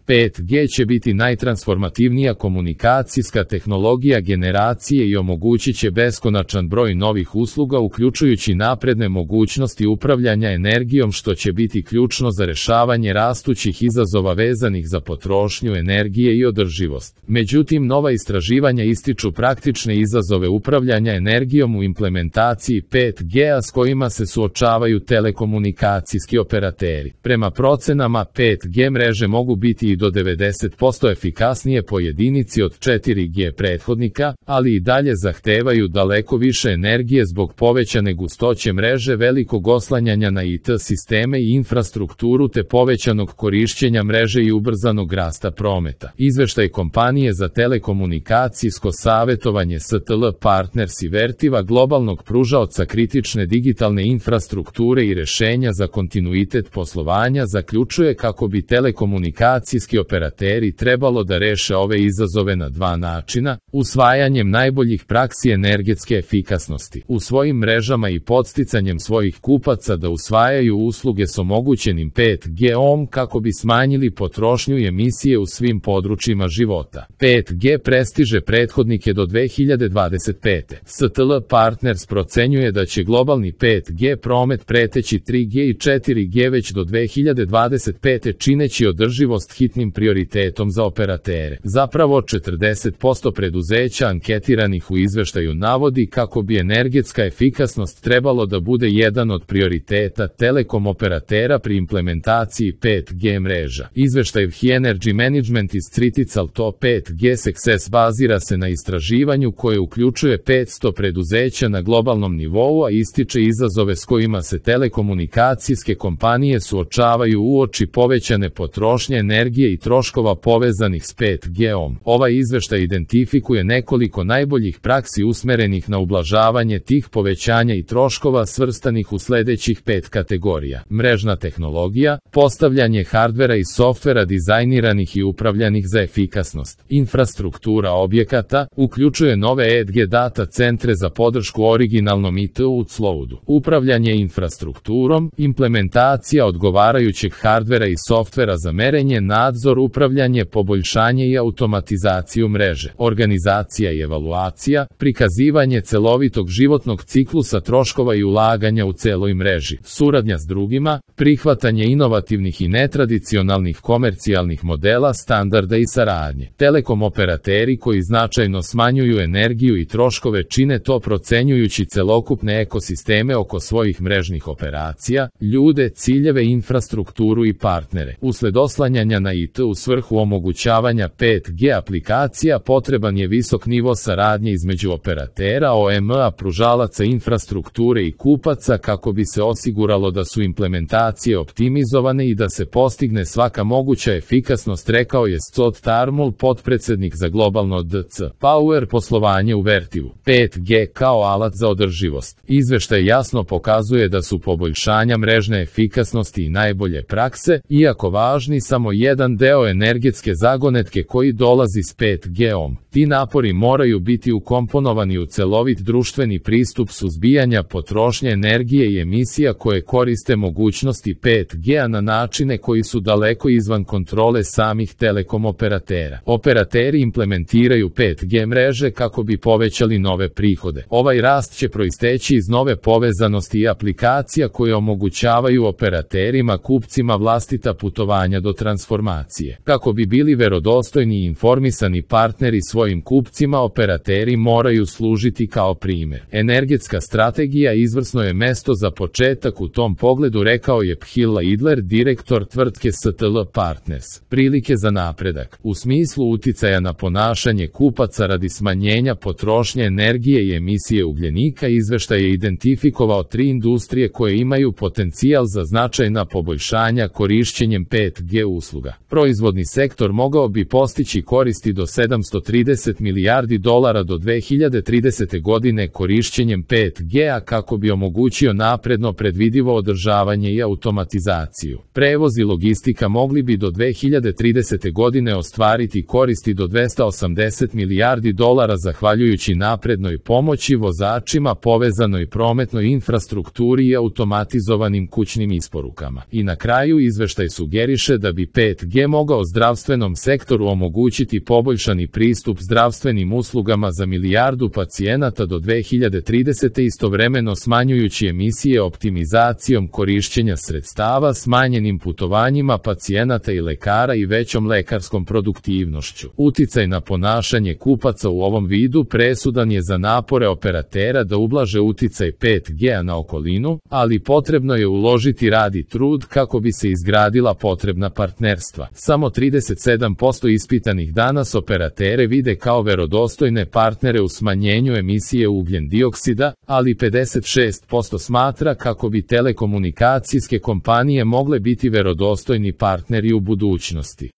5G će biti najtransformativnija komunikacijska tehnologija generacije i omogućit će beskonačan broj novih usluga uključujući napredne mogućnosti upravljanja energijom što će biti ključno za rešavanje rastućih izazova vezanih za potrošnju energije i održivost. Međutim, nova istraživanja ističu praktične izazove upravljanja energijom u implementaciji 5G-a s kojima se suočavaju telekomunikacijski operateri. Prema procenama, 5G mreže mogu biti i do 90% efikasnije po jedinici od 4G prethodnika, ali i dalje zahtevaju daleko više energije zbog povećane gustoće mreže, velikog oslanjanja na IT sisteme i infrastrukturu te povećanog korišćenja mreže i ubrzanog rasta prometa. Izveštaj kompanije za telekomunikacijsko savjetovanje STL Partners i Vertiva, globalnog pružaoca kritične digitalne infrastrukture i rešenja za kontinuitet poslovanja, zaključuje kako bi telekomunikacijski operateri trebalo da reše ove izazove na dva načina: usvajanjem najboljih praksi energetske efikasnosti u svojim mrežama i podsticanjem svojih kupaca da usvajaju usluge s omogućenim 5G-om kako bi smanjili potrošnju i emisije u svim područjima života. 5G prestiže prethodnike do 2025. STL Partners procenjuje da će globalni 5G promet preteći 3G i 4G već do 2025. čineći održivost hitnim prioritetom za operatere. Zapravo 40% preduzeća anketiranih u izveštaju navodi kako bi energetska efikasnost trebalo da bude jedan od prioriteta telekom operatera pri implementaciji 5G mreža. Izveštaj Energy Management iz Critical Top 5G Success bazira se na istraživanju koje uključuje 500 preduzeća na globalnom nivou, a ističe izazove s kojima se telekomunikacijske kompanije suočavaju uoči povećane potrošnje energije i troškova povezanih s 5G-om. Ovaj izveštaj identifikuje nekoliko najboljih praksi usmerenih na ublažavanje tih povećanja i troškova svrstanih u sledećih 5 kategorija: mrežna tehnologija, postavljanje hardvera i softvera dizajniranih i upravljanih za efikasnost, infrastruktura objekata, uključuje nove edge data centre za podršku originalnom IT cloudu, upravljanje infrastrukturom, implementacija odgovarajućeg hardvera i softvera za merenje, nadzor, upravljanje, poboljšanje i automatizaciju mreže, organizacija i evaluacija, prikazivanje celovitog životnog ciklusa troškova i ulaganja u celoj mreži, suradnja s drugima, prihvatanje inovativnih i netradicionalnih komercijalnih modela, standarda i saradnje. Telekom operateri koji značajno smanjuju energiju i troškove čine to procenjujući celokupne ekosisteme oko svojih mrežnih operacija, ljude, ciljeve, infrastrukturu i partnere. Usled oslanjanja na IT u svrhu omogućavanja 5G aplikacija potreban je visok nivo saradnje između operatera, OEM-a, pružalaca infrastrukture i kupaca kako bi se osiguralo da su implementacije optimizovane i da se postigne svaka moguća efikasnost, rekao je Scott Tarmul, potpredsednik za globalno DC Power poslovanje u Vertivu. 5G kao alat za održivost. Izveštaj jasno pokazuje da su poboljšanja mrežne efikasnosti i najbolje prakse, iako važni, samo jedan deo energetske zagonetke koji dolazi s 5G-om. Ti napori moraju biti ukomponovani u celovit društveni pristup suzbijanja potrošnje energije i emisija koje koriste mogućnosti 5G-a na načine koji su daleko izvan kontrole samih telekom operatera. Operateri implementiraju 5G mreže kako bi povećali nove prihode. Ovaj rast će proisteći iz nove povezanosti i aplikacija koje omogućavaju operaterima, kupcima vlastita putovanja do transformacije. Kako bi bili verodostojni i informisani partneri svojim kupcima, operateri moraju služiti kao primer. Energetska strategija izvrsno je mesto za početak u tom pogledu, rekao je Phil Idler, direktor tvrtke STL Partners. Prilike za napredak. U smislu uticaja na ponašanje kupaca radi smanjenja potrošnje energije i emisije ugljenika, izveštaj je identifikovao 3 industrije koje imaju potencijal za značajna poboljšanja korišćenjem 5G usluga. Proizvodni sektor mogao bi postići koristi do $730 30 milijardi dolara do 2030. godine korišćenjem 5G-a kako bi omogućio napredno predvidivo održavanje i automatizaciju. Prevoz i logistika mogli bi do 2030. godine ostvariti koristi do 280 milijardi dolara zahvaljujući naprednoj pomoći vozačima, povezanoj prometnoj infrastrukturi i automatizovanim kućnim isporukama. I na kraju izveštaj sugeriše da bi 5G mogao zdravstvenom sektoru omogućiti poboljšani pristup zdravstvenim uslugama za milijardu pacijenata do 2030. istovremeno smanjujući emisije optimizacijom korišćenja sredstava, smanjenim putovanjima pacijenata i lekara i većom lekarskom produktivnošću. Uticaj na ponašanje kupaca u ovom vidu presudan je za napore operatera da ublaže uticaj 5G-a na okolinu, ali potrebno je uložiti rad i trud kako bi se izgradila potrebna partnerstva. Samo 37% ispitanih danas operatere vide kao verodostojne partnere u smanjenju emisije ugljen dioksida, ali 56% smatra kako bi telekomunikacijske kompanije mogle biti verodostojni partneri u budućnosti.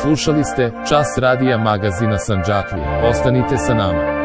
Slušali ste Čas radija magazina Sandžaklija. Ostanite sa nama.